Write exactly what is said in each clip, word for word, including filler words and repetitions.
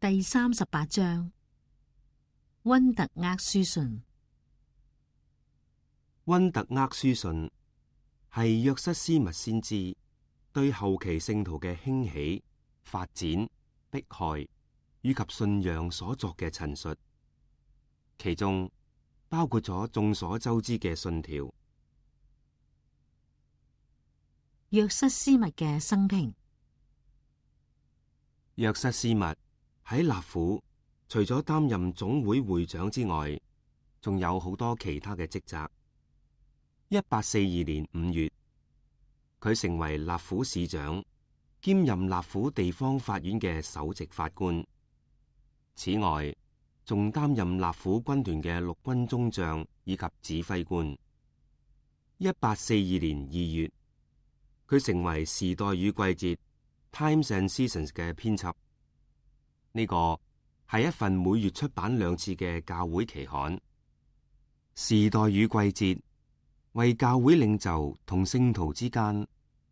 第三十八章，溫特厄書信。溫特厄書信係約瑟斯密先知對後期聖徒嘅興起、發展、迫害以及信仰所作嘅陳述，其中包括咗眾所周知嘅信條。約瑟斯密嘅生平。約瑟斯密喺納府，除咗擔任總會會長之外，仲有好多其他嘅職責。一八四二年五月，佢成為納府市長，兼任納府地方法院嘅首席法官。此外，仲擔任納府軍團嘅陸軍中將以及指揮官。一八四二年二月，佢成為《時代與季節》Times and Seasons 嘅編輯。呢個係一份每月出版兩次嘅教會期刊。《時代與季節》為教會領袖同聖徒之間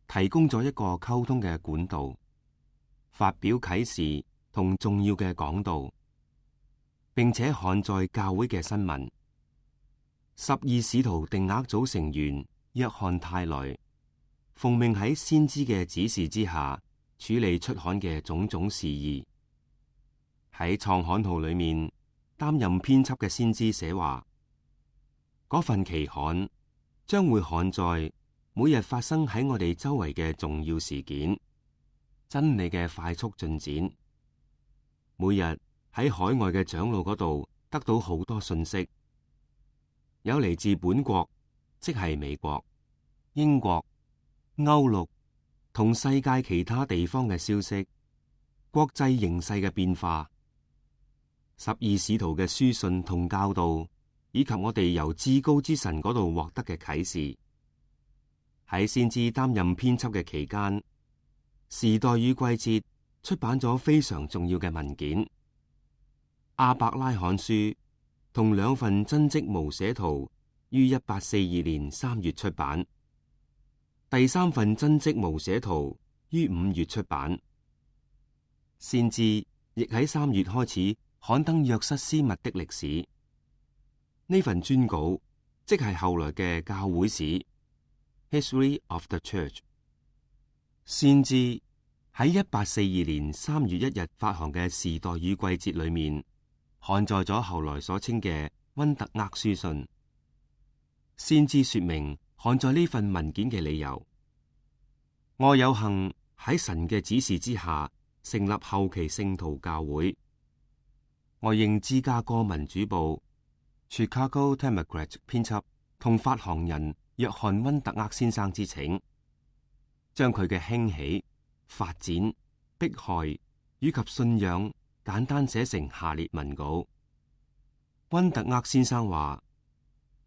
提供咗一個溝通嘅管道，發表啟示同重要嘅講道，並且刊載教會嘅新聞。十二使徒定額組成員約翰泰來奉命喺先知嘅指示之下處理出刊嘅種種事宜。喺創刊號裏面擔任編輯嘅先知寫話，嗰份期刊將會刊載每日發生喺我哋周圍嘅重要事件，真理嘅快速進展。每日喺海外嘅長老嗰度得到好多信息，有嚟自本國，即係美國、英國、歐陸同世界其他地方嘅消息，國際形勢嘅變化，十二使徒嘅書信同教導，以及我哋由至高之神嗰度獲得嘅啟示。喺先知擔任編輯嘅期間，《時代與季節》出版咗非常重要嘅文件。阿伯拉罕書同兩份真迹無寫圖於一八四二年三月出版，第三份真迹無寫圖於五月出版。先知亦喺三月開始刊登約瑟斯密的歷史。呢份專稿即係後來嘅教會史 History of the Church。先知喺一八四二年三月一日發行嘅《時代與季節》裏面刊載咗後來所稱嘅溫特厄書信。先知說明刊載呢份文件嘅理由：我有幸喺神嘅指示之下成立後期聖徒教會。我應芝加哥民主報 Chicago Democrat 編輯同發行人約翰溫特厄先生之請，將佢嘅興起、發展、迫害以及信仰簡單寫成下列文稿。溫特厄先生話，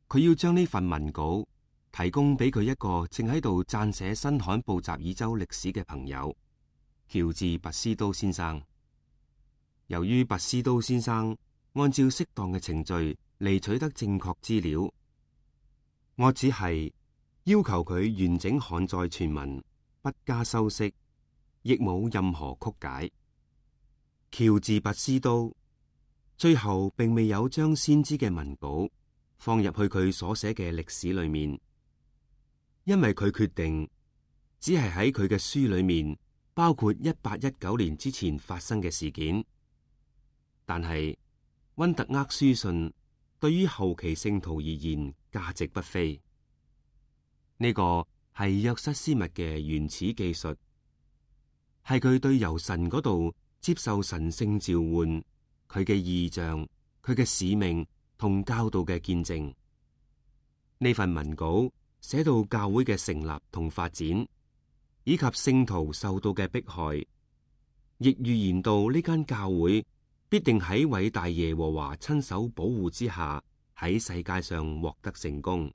佢要將呢份文稿提供俾佢一個正喺度撰寫新罕布什爾州歷史嘅朋友，喬治拔斯都先生。由於拔斯都先生按照適當嘅程序嚟取得正確資料，我只係要求佢完整刊載全文，不加修飾，亦冇任何曲解。喬治拔斯都最後並未有將先知嘅文稿放入去佢所寫嘅歷史裏面，因為佢決定只係喺佢嘅書裏面包括一八一九年之前發生嘅事件。但係溫特厄書信對於後期聖徒而言價值不菲。呢、這個係約瑟斯密嘅原始記述，係佢對由神嗰度接受神聖召喚，佢嘅異象、佢嘅使命同教導嘅見證。呢份文稿寫到教會嘅成立同發展，以及聖徒受到嘅迫害，亦預言到呢間教會必定喺偉大耶和華親手保護之下喺世界上獲得成功。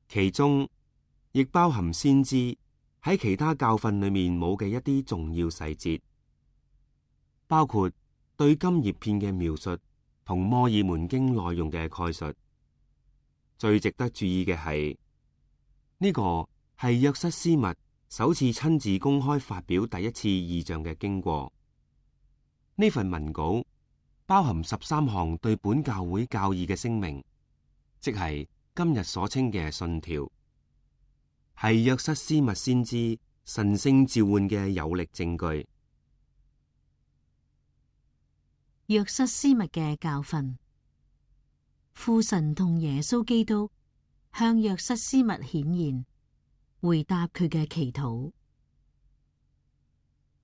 其中亦包含先知喺其他教訓裏面冇嘅一啲重要細節，包括對金葉片嘅描述同摩爾門經內容嘅概述。最值得注意嘅係呢個係約瑟斯密首次親自公開發表第一次異象嘅經過。呢份文稿包含十三項對本教會教義嘅聲明，即係今日所稱嘅信條，係約瑟斯密先知神聖召喚嘅有力證據。約瑟斯密嘅教訓。父神同耶穌基督向約瑟斯密顯現，回答佢嘅祈禱。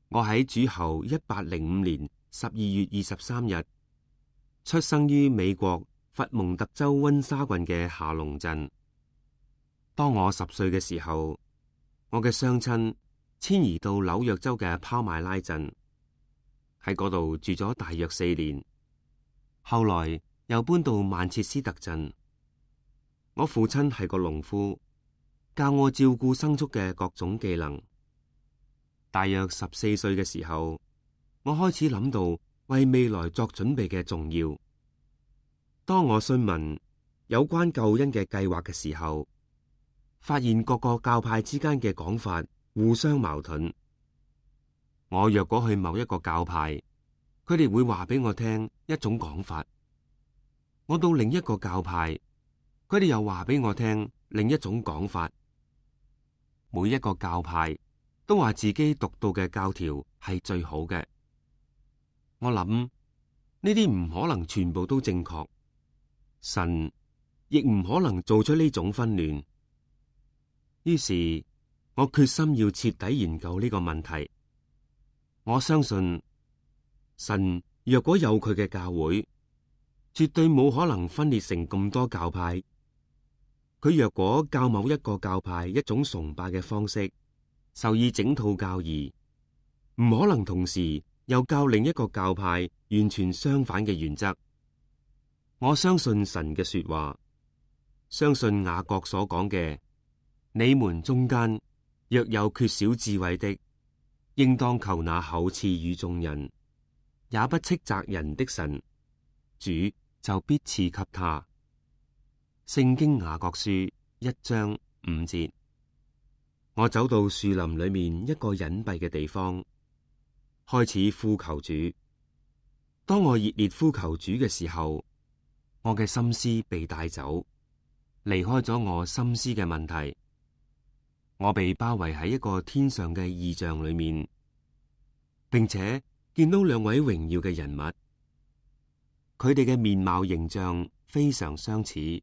我喺主後一八零五年十二月二十三日出生於美國佛蒙特州溫莎郡嘅下龍鎮。當我十歲嘅時候，我嘅雙親遷移到紐約州嘅拋麥拉鎮，喺嗰度住咗大約四年。後來又搬到曼徹斯特鎮。我父親係個農夫，教我照顧牲畜嘅各種技能。大約十四歲嘅時候，我開始諗到為未來作準備嘅重要。當我詢問有關救恩嘅計劃嘅時候，發現各個教派之間嘅講法互相矛盾。我若果去某一個教派，佢哋會話俾我聽一種講法；我到另一個教派，佢哋又話俾我聽另一種講法。每一個教派都話自己讀到嘅教條係最好嘅。我諗呢啲唔可能全部都正確，神亦唔可能做出呢種紛亂。於是我決心要徹底研究呢個問題。我相信神若果有佢嘅教會，絕對冇可能分裂成咁多教派。佢若果教某一個教派一種崇拜嘅方式，授意整套教義，唔可能同時又教另一個教派完全相反嘅原則。我相信神嘅說話，相信雅各所講嘅：你們中間若有缺少智慧的，應當求那厚賜與眾人，也不斥責人的神，主就必賜給他。聖經雅各書一章五節。我走到樹林裏面一個隱蔽嘅地方，開始呼求主。當我熱烈呼求主嘅時候，我嘅心思被帶走，離開咗我心思嘅問題。我被包圍喺一個天上嘅異象裏面，並且見到兩位榮耀嘅人物，佢哋嘅面貌形象非常相似，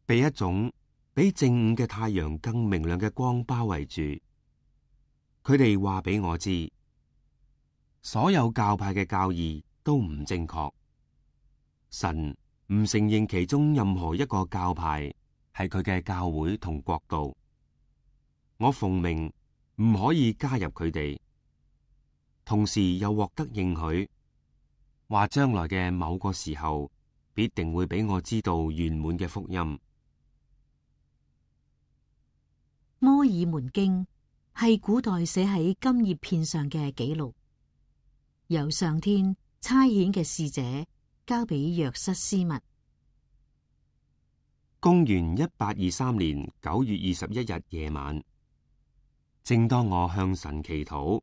被一種比正午嘅太陽更明亮嘅光包圍住。佢哋話俾我知，所有教派嘅教義都唔正確，神唔承認其中任何一個教派係佢嘅教會同國度。我奉命唔可以加入佢哋，同時又獲得應許，話將來嘅某個時候必定會俾我知道圓滿嘅福音。摩爾門經係古代寫喺金葉片上嘅記錄，由上天差遣嘅使者交俾約瑟斯密。公元一八二三年九月二十一日夜晚，正當我向神祈禱，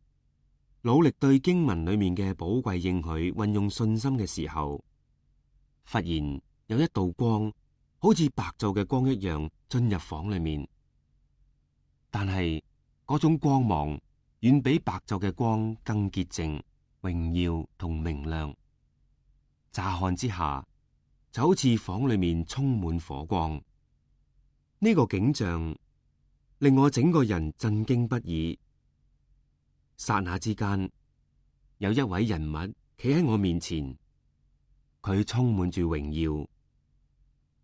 努力對經文裏面嘅寶貴應許運用信心嘅時候，忽然有一道光，好似白晝嘅光一樣進入房裏面。但係嗰種光芒遠比白晝嘅光更潔淨、榮耀同明亮。乍看之下，就好似房裏面充滿火光。呢個景象令我整個人震驚不已。剎那之間，有一位人物企喺我面前，佢充滿住榮耀，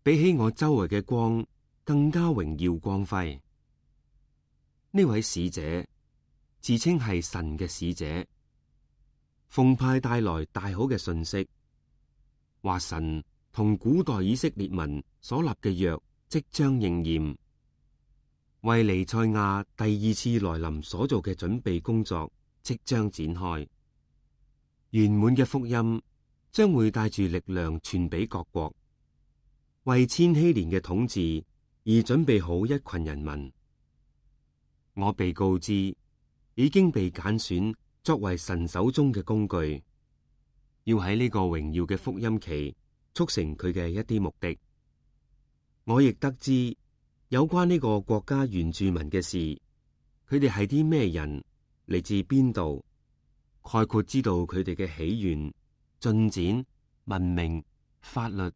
比起我周圍嘅光更加榮耀光輝。呢位使者自稱係神嘅使者，奉派帶來大好嘅信息，話神同古代以色列民所立嘅約即將應驗，為彌賽亞第二次來臨所做嘅準備工作即將展開，圓滿嘅福音將會帶住力量傳俾各國，為千禧年嘅統治而準備好一群人民。我被告知已經被揀選作為神手中嘅工具，要喺呢個榮耀嘅福音期促成佢嘅一啲目的。我亦得知有關呢個國家原住民嘅事，佢哋係啲咩人，嚟自邊度，概括知道佢哋嘅起源、進展、文明、法律、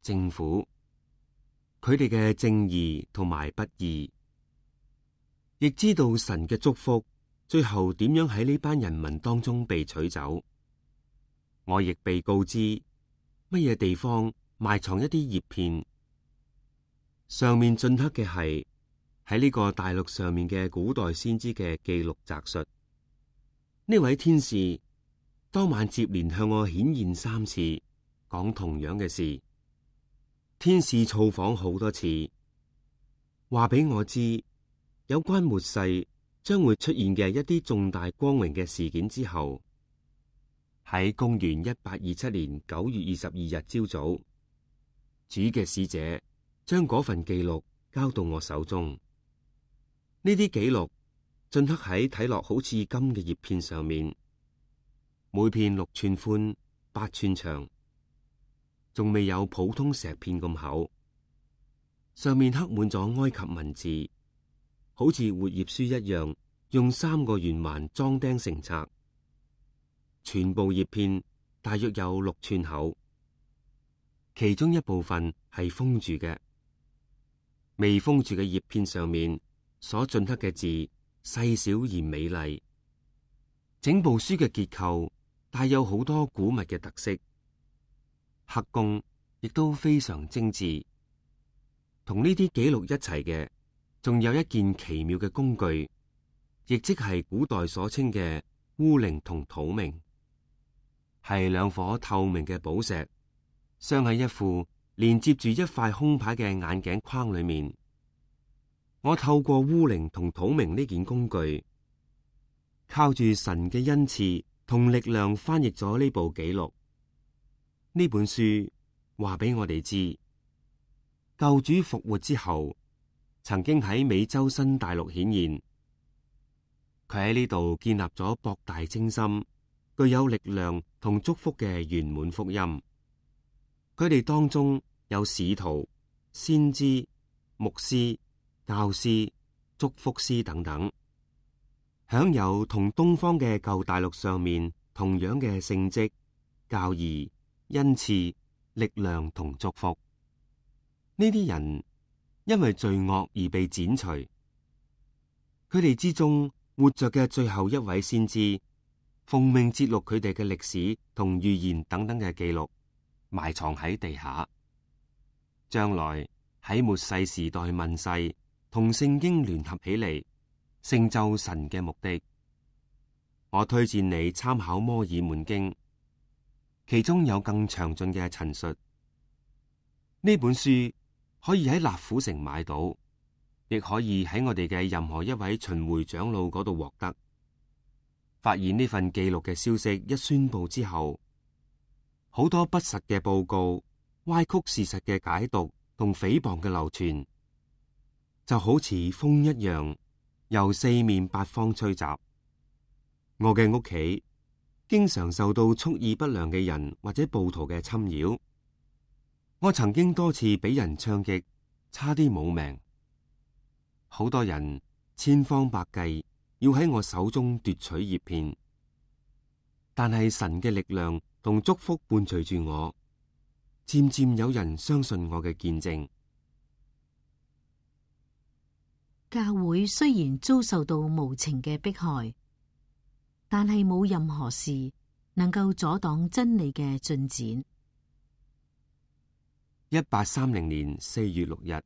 政府，佢哋嘅正義同埋不義，亦知道神嘅祝福最後點樣喺呢班人民當中被取走。我亦被告知乜嘢地方埋藏一啲葉片，上面鐫刻嘅係喺呢個大陸上面嘅古代先知嘅記錄摘述。呢位天使當晚接連向我顯現三次，講同樣嘅事。天使造訪好多次，話俾我知有關末世將會出現嘅一啲重大光榮嘅事件之後，喺公元一八二七年九月二十二日朝早，主嘅使者將嗰份記錄交到我手中。呢啲記錄鐫刻喺睇落好似金嘅葉片上面，每片六寸寬、八寸長，仲未有普通石片咁厚。上面刻滿咗埃及文字，好似活頁書一樣，用三個圓環裝釘成冊。全部葉片大約有六寸厚，其中一部分係封住嘅，未封住嘅葉片上面所鐫刻嘅字細小而美麗。整部書嘅結構帶有好多古物嘅特色，刻工亦都非常精緻。同呢啲記錄一齊嘅，仲有一件奇妙嘅工具，亦即係古代所稱嘅烏靈同土明。係兩顆透明嘅寶石，鑲喺一副連接住一塊空牌嘅眼鏡框裏面。我透過烏靈同土明呢件工具，靠住神嘅恩賜同力量翻譯咗呢部記錄。呢本書話俾我哋知，救主復活之後，曾經喺美洲新大陸顯現。佢喺呢度建立咗博大精深、具有力量同祝福嘅圓滿福音。佢哋當中有使徒、先知、牧師、教師、祝福師等等，享有同東方嘅舊大陸上面同樣嘅聖職、教義、恩賜、力量同祝福。呢啲人因為罪惡而被剪除，佢哋之中活着嘅最後一位先知，奉命節錄佢哋嘅歷史同預言等等嘅記錄，埋藏喺地下。將來喺末世時代問世，同聖經聯合起嚟，成就神嘅目的。我推薦你參考摩爾門經，其中有更詳盡嘅陳述。呢本書可以喺納府城買到，亦可以喺我哋嘅任何一位巡迴長老嗰度獲得。發現呢份記錄嘅消息一宣佈之後，好多不實嘅報告、歪曲事實嘅解讀同誹謗嘅流傳，就好似風一樣，由四面八方吹襲。我嘅屋企經常受到蓄意不良嘅人或者暴徒嘅侵擾，我曾經多次俾人槍擊，差啲冇命。好多人千方百計要喺我手中奪取葉片，但係神嘅力量同祝福伴隨住我，漸漸有人相信我嘅見證。教會雖然遭受到無情嘅迫害，但係冇任何事能夠阻擋真理嘅進展。一八三零年四月六日，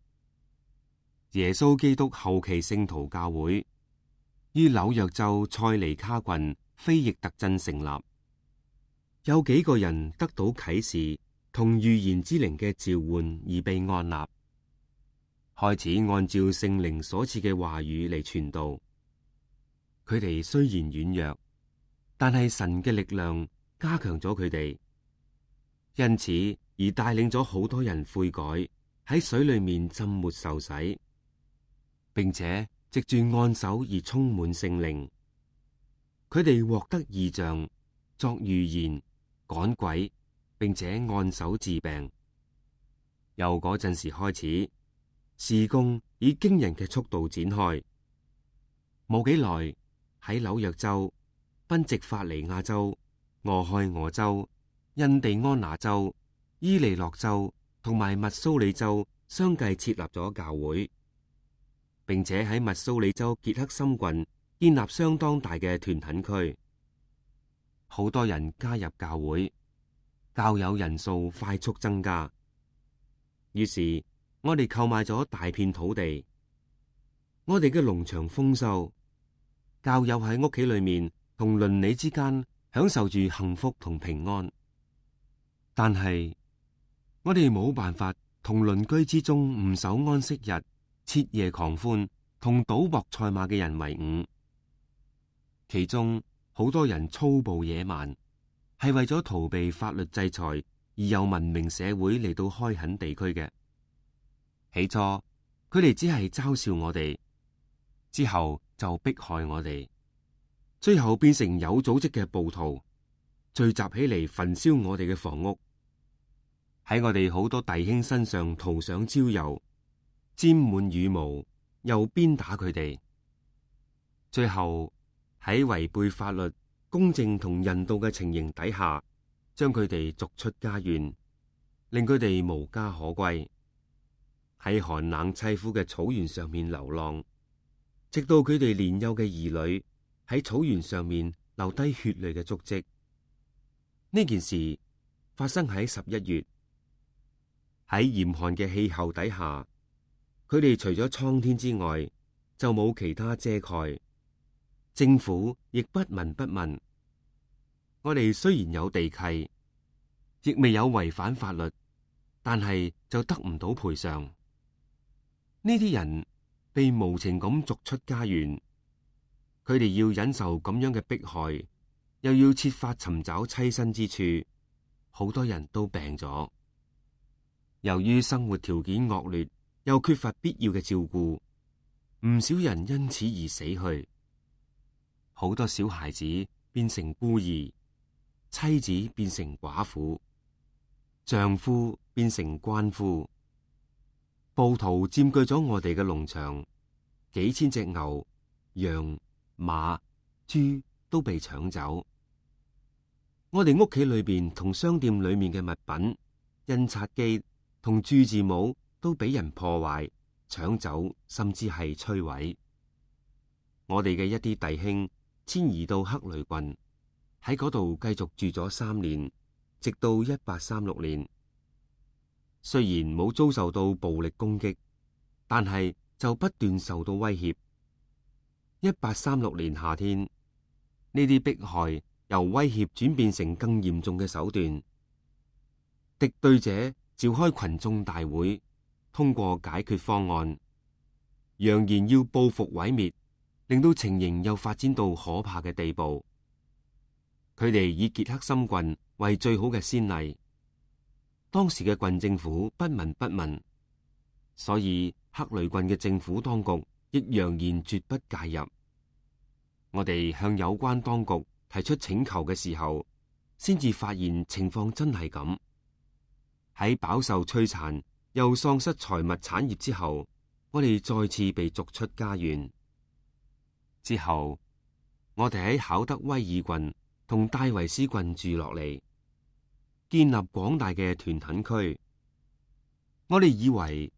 耶穌基督後期聖徒教會於紐約州塞尼卡郡菲翼特鎮成立。有幾個人得到啟示同預言之靈嘅召喚而被按立，開始按照聖靈所賜嘅話語嚟傳道。佢哋雖然軟弱，但係神嘅力量加強咗佢哋，因此而帶領咗好多人悔改，喺水裏面浸沒受洗，並且藉住按手而充滿聖靈。佢哋獲得異象、作預言、趕鬼，並且按手治病。由嗰陣時開始，事工以驚人嘅速度展開。冇幾耐，喺紐約州、賓夕法尼亞州、俄亥俄州、印第安納州、伊利諾州同埋密蘇里州相繼設立咗教會，並且喺密蘇里州傑克森郡建立相當大嘅團墾區，好多人加入教會，教友人數快速增加。於是我哋購買咗大片土地，我哋嘅農場豐收，教友喺屋企裏面同鄰里之間享受住幸福同平安。但係我哋冇辦法同鄰居之中唔守安息日、徹夜狂歡同賭博賽馬嘅人為伍。其中好多人粗暴野蠻，係為咗逃避法律制裁而由文明社會嚟到開墾地區嘅。起初佢哋只係嘲笑我哋，之後就迫害我哋，最後變成有組織嘅暴徒，聚集起嚟焚燒我哋嘅房屋，喺我哋好多弟兄身上塗上焦油，沾滿羽毛，又鞭打佢哋。最後喺違背法律、公正同人道嘅情形底下，將佢哋逐出家園，令佢哋無家可歸，喺寒冷凄苦嘅草原上面流浪，直到佢哋年幼嘅兒女喺草原上面留低血淚嘅足跡。呢件事發生喺十一月，喺嚴寒嘅氣候底下，佢哋除咗蒼天之外，就冇其他遮蓋。政府亦不聞不問。我哋雖然有地契，亦未有違反法律，但係就得唔到賠償。呢啲人被無情咁逐出家園，佢哋要忍受咁樣嘅迫害，又要設法尋找棲身之處，好多人都病咗。由於生活條件惡劣，又缺乏必要嘅照顧，唔少人因此而死去。好多小孩子變成孤兒，妻子變成寡婦，丈夫變成鰥夫。暴徒佔據咗我哋嘅農場，幾千隻牛、羊、馬、豬都被搶走。我哋屋企裏邊同商店裏面嘅物品、印刷機同注字帽都俾人破壞、搶走，甚至係摧毀。我哋嘅一啲弟兄遷移到克雷郡，喺嗰度繼續住咗三年，直到一八三六年。雖然冇遭受到暴力攻擊，但係就不斷受到威脅。一八三六年夏天，呢啲迫害由威脅轉變成更嚴重嘅手段。敵對者召開群眾大會，通過解決方案，揚言要報復毀滅，令到情形又發展到可怕嘅地步。佢哋以傑克森郡為最好嘅先例。當時嘅郡政府不聞不問，所以克雷郡嘅政府當局亦揚言絕不介入。我哋向有關當局提出請求嘅時候，先至發現情況真係咁。喺飽受摧殘又喪失財物產業之後，我哋再次被逐出家園。之後，我哋喺考德威爾郡同戴維斯郡住落嚟，建立廣大嘅團墾區。我哋以為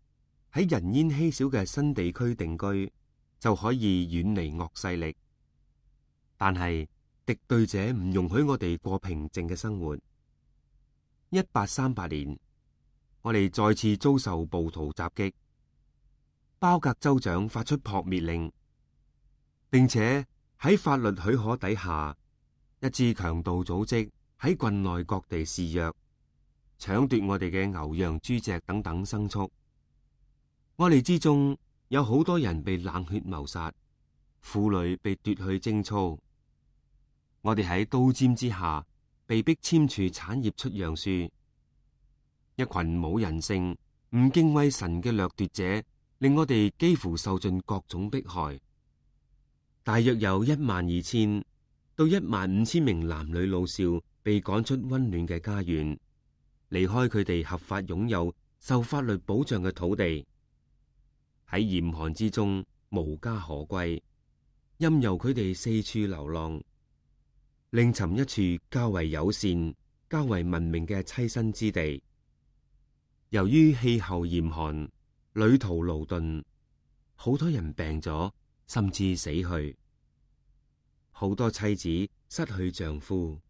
喺人煙稀少嘅新地區定居就可以遠離惡勢力，但係敵對者唔容許我哋過平靜嘅生活。一八三八年，我哋再次遭受暴徒襲擊，包格州長發出撲滅令，並且喺法律許可底下，一支強盜組織喺郡內各地肆虐，搶奪我哋嘅牛羊豬隻等等牲畜。我哋之中有好多人被冷血謀殺，婦女被奪去貞操。我哋喺刀尖之下被逼簽署產業出讓書。一群冇人性、唔敬畏神嘅掠奪者，令我哋幾乎受盡各種迫害。大約有一萬二千到一萬五千名男女老少被趕出溫暖嘅家園，離開佢哋合法擁有、受法律保障嘅土地，喺嚴寒之中無家可歸，任由佢哋四處流浪，另尋一處較為友善、較為文明嘅棲身之地。由於氣候嚴寒，旅途勞頓，好多人病咗，甚至死去。好多妻子失去丈夫，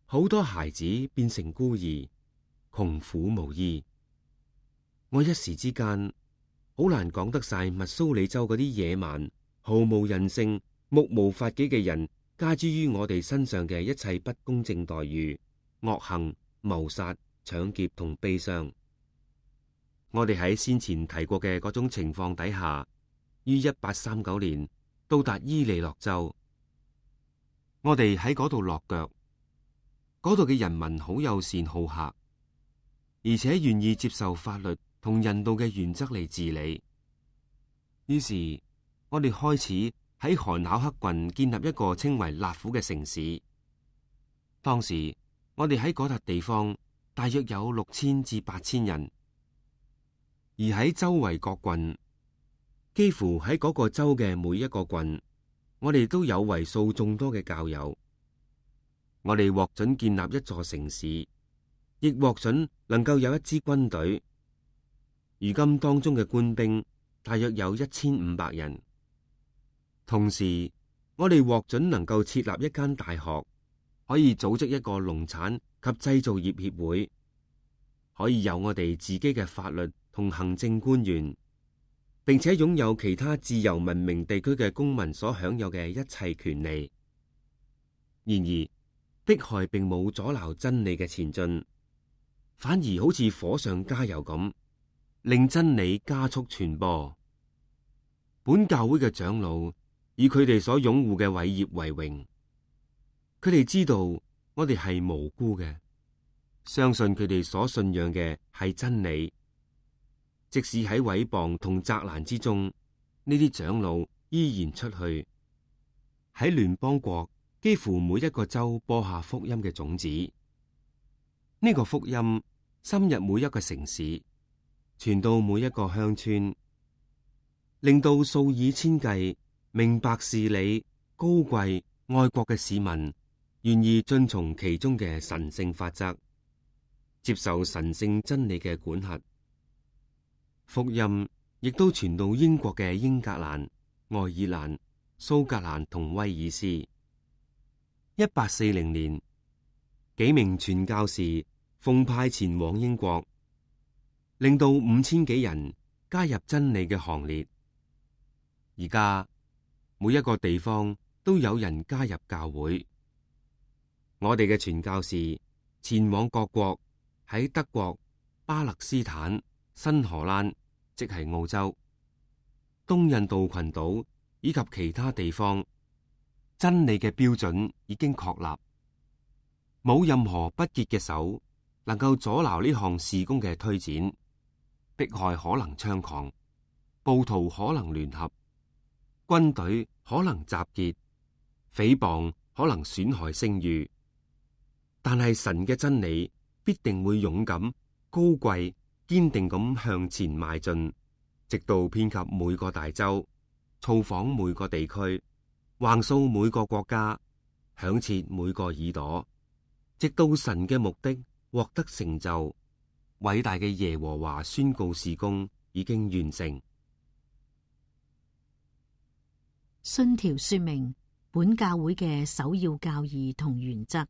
好多孩子變成孤兒，窮苦無依。我一時之間好難講得晒密蘇里州嗰啲野蠻、毫無人性、目無法紀嘅人加諸於我哋身上嘅一切不公正待遇、惡行、謀殺、搶劫同悲傷。我哋喺先前提過嘅嗰種情況底下，於一八三九年到達伊利諾州。我哋喺嗰度落腳，嗰度嘅人民好友善好客，而且願意接受法律同人道嘅原則嚟治理。於是，我哋開始喺韓考克郡建立一個稱為納府嘅城市。當時，我哋喺嗰笪地方大約有六千至八千人。而喺周圍各郡，幾乎喺嗰個州嘅每一個郡，我哋都有為數眾多嘅教友。我哋獲准建立一座城市，亦獲准能夠有一支軍隊。如今當中嘅官兵大約有一千五百人。同時，我哋獲准能夠設立一間大學，可以組織一個農產及製造業協會，可以有我哋自己嘅法律同行政官員，並且擁有其他自由文明地區嘅公民所享有嘅一切權利。然而，迫害並冇阻撓真理嘅前進，反而好似火上加油咁，令真理加速傳播。本教會嘅長老以佢哋所擁護嘅偉業為榮，佢哋知道我哋係無辜嘅，相信佢哋所信仰嘅係真理。即使喺毀謗同責難之中，呢啲長老依然出去喺聯邦國幾乎每一個州播下福音嘅種子。呢、這個福音深入每一個城市，傳到每一個鄉村，令到數以千計明白事理、高貴愛國嘅市民願意遵從其中嘅神聖法則，接受神聖真理嘅管轄。福音亦都傳到英國嘅英格蘭、愛爾蘭、蘇格蘭同威爾斯。一八四零年，幾名傳教士奉派前往英國，令到五千幾人加入真理嘅行列。而家每一個地方都有人加入教會。我哋嘅傳教士前往各國，喺德國、巴勒斯坦、新荷蘭，即係澳洲、東印度群島以及其他地方，真理嘅標準已經確立，冇任何不潔嘅手能夠阻撓呢項事工嘅推展。迫害可能猖狂，暴徒可能聯合，軍隊可能集結，誹謗可能損害聲譽，但係神嘅真理必定會勇敢、高貴、堅定咁向前邁進，直到遍及每個大洲，造訪每個地區，橫掃每個國家，響徹每個耳朵，直到神嘅目的獲得成就。偉大嘅耶和華宣告事工已經完成。信條說明本教會嘅首要教義同原則。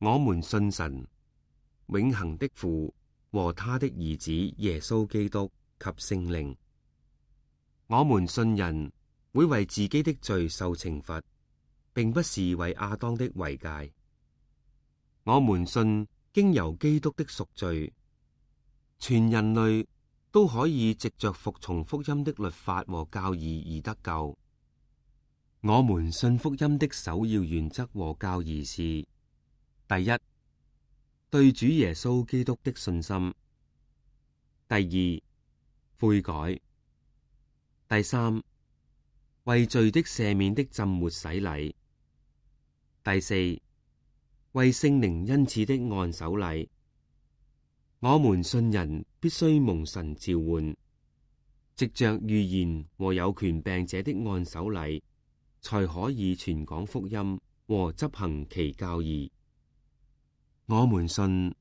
我們信神，永恆的父和他的兒子耶穌基督及聖靈。我們信人會為自己的罪受懲罰，並不是為亞當的遺誡。我們信經由基督的贖罪，全人類都可以藉着服從福音的律法和教義而得救。我們信福音的首要原則和教義是：第一，對主耶穌基督的信心；第二，悔改；第三，為罪的赦免的浸沒洗禮；第四，為聖靈恩賜的按手禮。我們信人必須蒙神召喚，藉着預言和有權柄者的按手禮，才可以傳講福音和執行其教義。我們信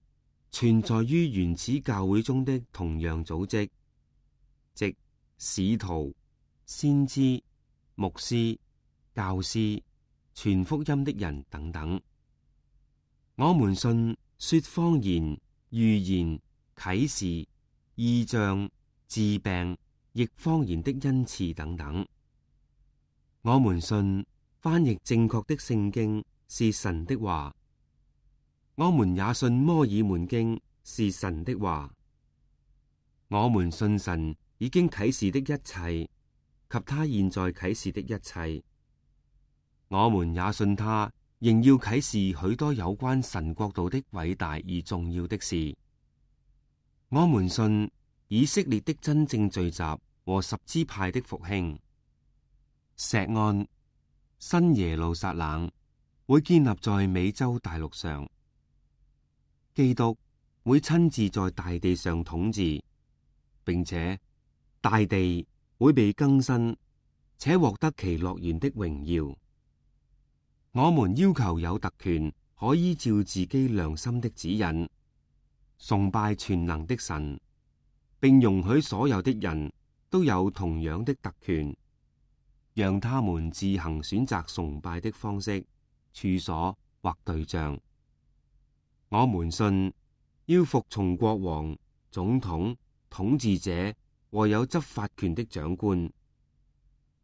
存在於原始教會中的同樣組織，即使徒、先知、牧師、教師、傳福音的人等等。我們信說方言、預言、啟示、異象、治病、譯方言的恩賜等等。我們信翻譯正確的聖經是神的話。我們也信摩爾門經是神的話。我們信神已經啟示的一切及他現在啟示的一切。我們也信他仍要啟示許多有關神國度的偉大而重要的事。我們信以色列的真正聚集和十支派的復興。錫安、新耶路撒冷會建立在美洲大陸上。基督會親自在大地上統治，並且大地會被更新，且獲得其樂園的榮耀。我們要求有特權，可依照自己良心的指引，崇拜全能的神，並容許所有的人都有同樣的特權，讓他們自行選擇崇拜的方式、處所或對象。我們信要服從國王、總統、統治者和有執法權的長官，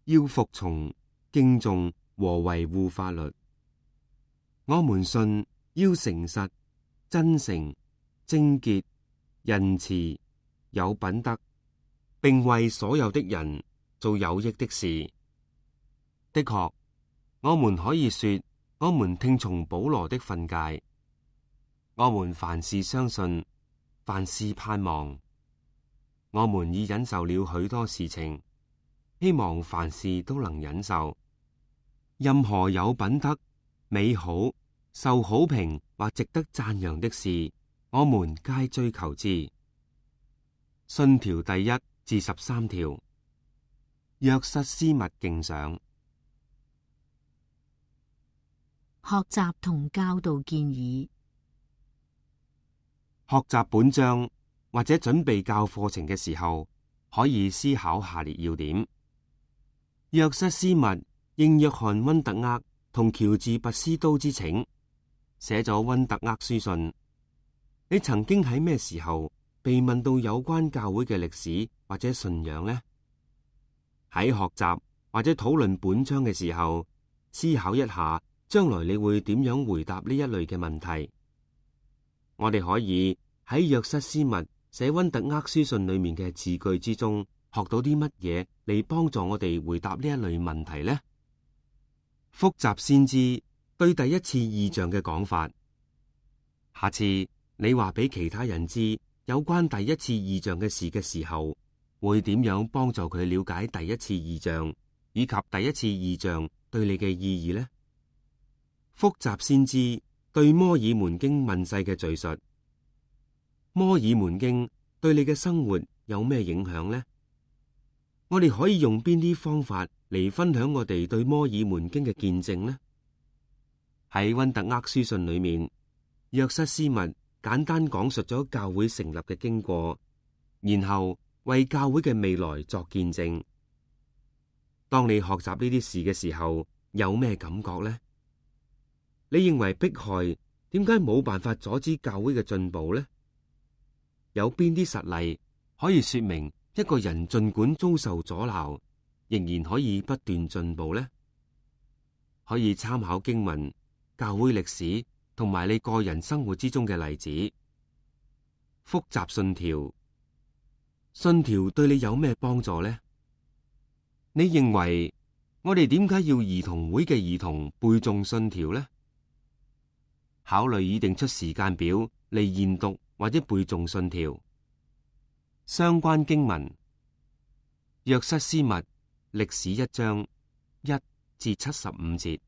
要服從、敬重和維護法律。我們信要誠實、真誠、貞潔、仁慈、有品德，並為所有的人做有益的事。的確，我們可以說，我們聽從保羅的訓誡。我們凡事相信，凡事盼望。我們已忍受了許多事情，希望凡事都能忍受。任何有品德、美好、受好評或值得讚揚的事，我們皆追求之。信條第一至十三條。約瑟斯密敬賞。學習同教導建議。學習本章或者準備教課程嘅時候，可以思考下列要點。約瑟斯密應約翰溫特厄同喬治拔斯都之請，寫咗溫特厄書信。你曾經喺咩時候被問到有關教會嘅歷史或者信仰呢？喺學習或者討論本章嘅時候，思考一下，將來你會點樣回答呢一類嘅問題。我哋可以喺約瑟斯密寫溫特厄書信裏面嘅字句之中，學到啲乜嘢嚟幫助我哋回答呢一類問題呢？複習先知對第一次異象嘅講法。下次你話俾其他人知有關第一次異象嘅事嘅時候，會點樣幫助佢了解第一次異象以及第一次異象對你嘅意義呢？複習先知對摩爾門經問世嘅敘述。摩爾門經對你嘅生活有咩影響呢？我哋可以用邊啲方法嚟分享我哋對摩爾門經嘅見證呢？喺溫特厄書信裏面，約瑟斯密簡單講述咗教會成立嘅經過，然後為教會嘅未來作見證。當你學習呢啲事嘅時候，有咩感覺呢？你認為迫害點解冇辦法阻止教會嘅進步呢？有邊啲實例可以說明一個人盡管遭受阻撓，仍然可以不斷進步呢？可以參考經文、教會歷史同埋你個人生活之中嘅例子。複習信條。信條對你有咩幫助呢？你認為我哋點解要兒童會嘅兒童背誦信條呢？考慮擬定出時間表嚟研讀或者背誦信條。相關經文：約瑟斯密歷史一章一至七十五節。